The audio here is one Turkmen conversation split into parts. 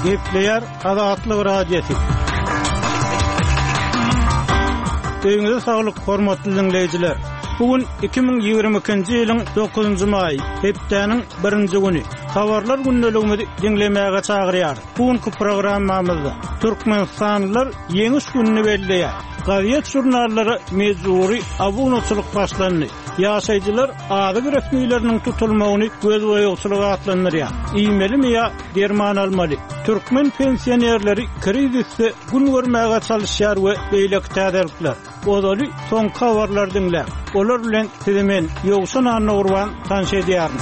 Gepleýär Azatlyk Radiosy. Öýüňize saglyk, hormatly diňleýjiler! Bu gün 2022-nji ýylyň dokuzynjy maýy, hepdäniň birinji güni. Habarlar gündeligimizi diňlemäge çagyrýarys. Bu günki programmamyzda türkmenistanlylar Ýeňiş gününi belleýär. Gazet-žurnallara mejbury abunaçylyk başlandy. Ýaşaýjylar azyk resmileriniň tutulmagyny gözboýagçylyk atlandyrýar. Iýmelimi ýa derman almaly? Türkmen pensionerleri krizisde gün görmäge çalyşýar we beýleki täzelikler. Ozaly soňky habarlary diňläň. Olar bilen sizi men, Ýowşan Annagurban tanyş edýärin.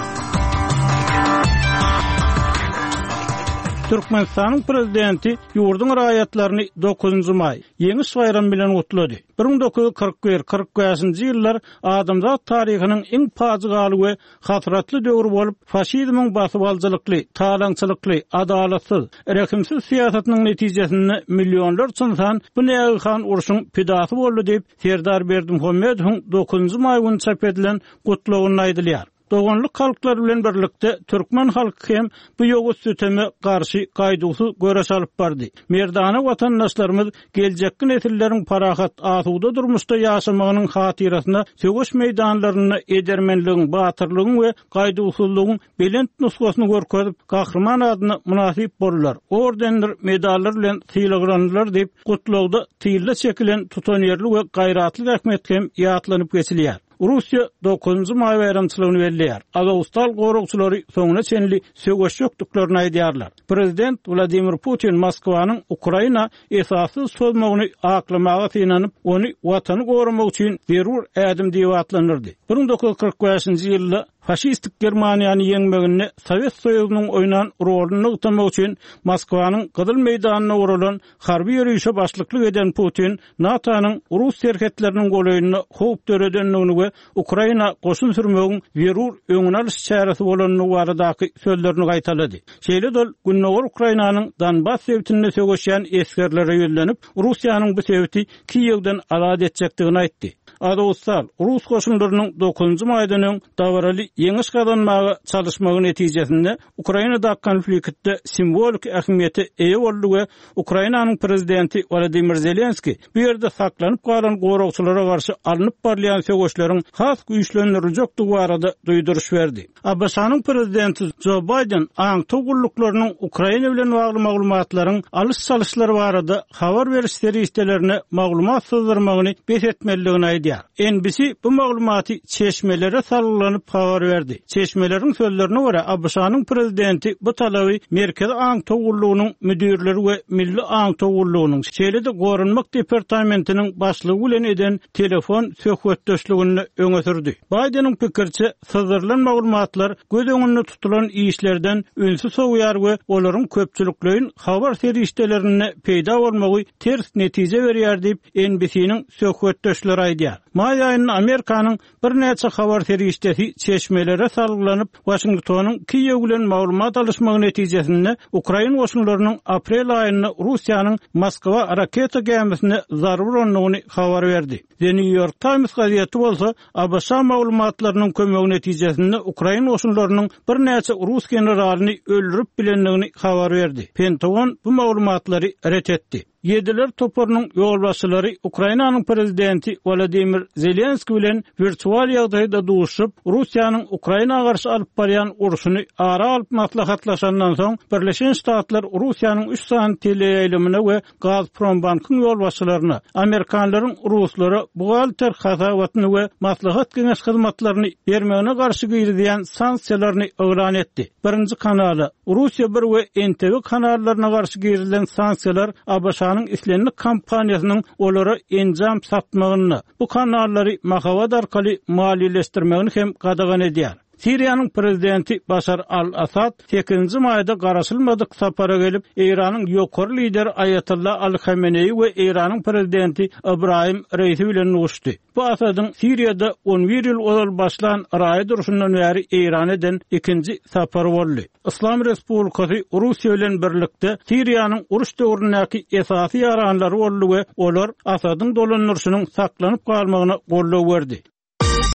Türkmenistanyň Prezidenti ýurduň raýatlaryny dokuzynjy maý, Ýeňiş baýramy bilen gutlady. 1941, 45-nji ýyllar adamzat taryhynyň iň pajygaly we hasratly döwri bolup, faşizmiň basybalyjylykly, talaňçylykly, adalatsyz, rehimsiz syýasatynyň netijesinde millionlarça ynsan bu nägehan urşuň pidasy boldy diýip, Serdar Berdimuhamedowyň dokuzynjy maý güni çap edilen Gutlagynda aýdylýar. Doganlyk halklar bilen birlikde türkmen halky hem bu ýowuz süteme garşy gaýduwsyz göreş alyp bardy. Merdana watandaşlarymyz geljekki nesilleriň parahat, asuda durmuşda ýaşamagynyň hatyrasyna söweş meýdanlarynda edermenligiň, batyrlygyň we gaýduwsyzlygyň belent nusgasyny görkezip, gahryman adyna mynasyp boldular, ordendir medallar bilen sylaglandylar diýip, Gutlagda tylla çekilen tutanýerli we gaýratly zähmet hem ýatlanyp geçilýär. Russiýa dokuzynjy maý baýramçylygyny belleýär. Azowstal goragçylary soňuna çenli söweşjekdiklerini aýdýarlar. Prezident Wladimir Putin Moskwanyň Ukraina esassyz çozmagyny aklamaga synanyp, ony Watany goramak üçin zerur ädim diýip atlandyrdy. 1945-nji ýylda faşistik Germaniýany ýeňmeginde Sowet Soýuzynyň oýnan roluny nygtamak üçin Moskwanyň Gyzyl meýdanynda guralan harby ýörişe başlyklyk eden Putin NATO-nyň rus serhetleriniň golaýynda howp döredendigini we Ukraina goşun sürmegiň zerur öňüni alyş çäresi bolandygy baradaky sözlerini gaýtalady. Şeýle-de ol gündogar Ukrainanyň Donbas sebitinde söweşýän esgerlere ýüzlenip, Russiýanyň bu sebiti Kiýewden azat etjekdigini aýtdy. Azowstal rus goşunlarynyň dokuzynjy maýdan öň dabaraly ýeňiş gazanmaga çalyşmagy netijesinde Ukrainadaky konfliktde simwoliki ähmiýete eýe boldy we Ukrainanyň prezidenti Wolodymyr Zelenskiý bu ýerde saklanyp galan goragçylara garşy alnyp barylýan söweşleriň has güýçlendiriljekdigi barada duýduryş berdi. ABŞ-nyň prezidenti Jo Baýden aňtaw gulluklarynyň Ukraina bilen bagly maglumatlaryň alyş-çalyşlary barada habar beriş serişdelerine maglumat syzdyrmagyny bes etmelidigini aýdýar. NBC bu maglumaty çeşmelere salgylanyp habar berdi. Çeşmeleriň sözlerine görä, ABŞ-nyň prezidenti bu talaby Merkezi aňtaw gullugynyň müdirleri we Milli aňtaw gullugynyň, şeýle-de Goranmak departamentiniň başlygy bilen eden telefon söhbetdeşliginde öňe sürdi. Baýdeniň pikiriçe, syzdyrylan maglumatlar göz öňünde tutulan işlerden ünsi sowýar we olaryň köpçülikleýin habar serişdelerinde peýda bolmagy ters netije berýär diýip, NBC-niň söhbetdeşleri aýdýar. Maý aýynda Amerikanyň birnäçe habar serişdesi çeşmelere salgylanyp, Waşingtonyň Kiýew bilen maglumat alyşmagy netijesinde ukrain goşunlarynyň aprel aýynda Russiýanyň Moskwa raketa gämisine zarba urandygyny habar berdi. The New York Times gazeti bolsa ABŞ maglumatlarynyň kömegi netijesinde ukrain goşunlarynyň birnäçe rus generalyny öldürip bilendigini habar berdi. Pentagon bu maglumatlary ret etdi. Ýediler toparynyň ýolbaşçylary Ukrainanyň prezidenti Wolodymyr Zelenskiý bilen wirtual ýagdaýda duşuşyp, Russiýanyň Ukraina garşy alyp barýan urşuny ara alyp maslahatlaşandan soň, Birleşen Ştatlar Russiýanyň üç sany teleýaýlymyna we Gazprombankyň ýolbaşçylaryna, amerikanlaryň ruslara buhgalter hasabatyny we maslahat-geňeş hyzmatlaryny bermegine garşy girizýän sanksiýalaryny yglan etdi. Birinji kanala, Russiýa bir we NTV kanallaryna garşy girizilen sanksiýalar ABŞ-nyň islendik kompaniýasynyň olara enjam satmagyny, bu kanallary mahabat arkaly maliýeleşdirmegini hem gadagan edýär. Siriýanyň prezidenti Başar al-Assad sekizinji maýda garaşylmadyk sapara gelip, Eýranyň ýokary lideri Aýatolla Aly Hameneýi we Eýranyň prezidenti Ybraýym Reisi bilen duşdy. Bu Asadyň Siriýada on bir ýyl ozal başlan raýat urşundan bäri Eýrana eden ikinji sapary boldy. Yslam Respublikasy Russiýa bilen birlikde Siriýanyň uruş döwründäki esasy ýaranlary boldy we olar Asadyň dolandyryşynyň saklanyp galmagyna goldaw berdi.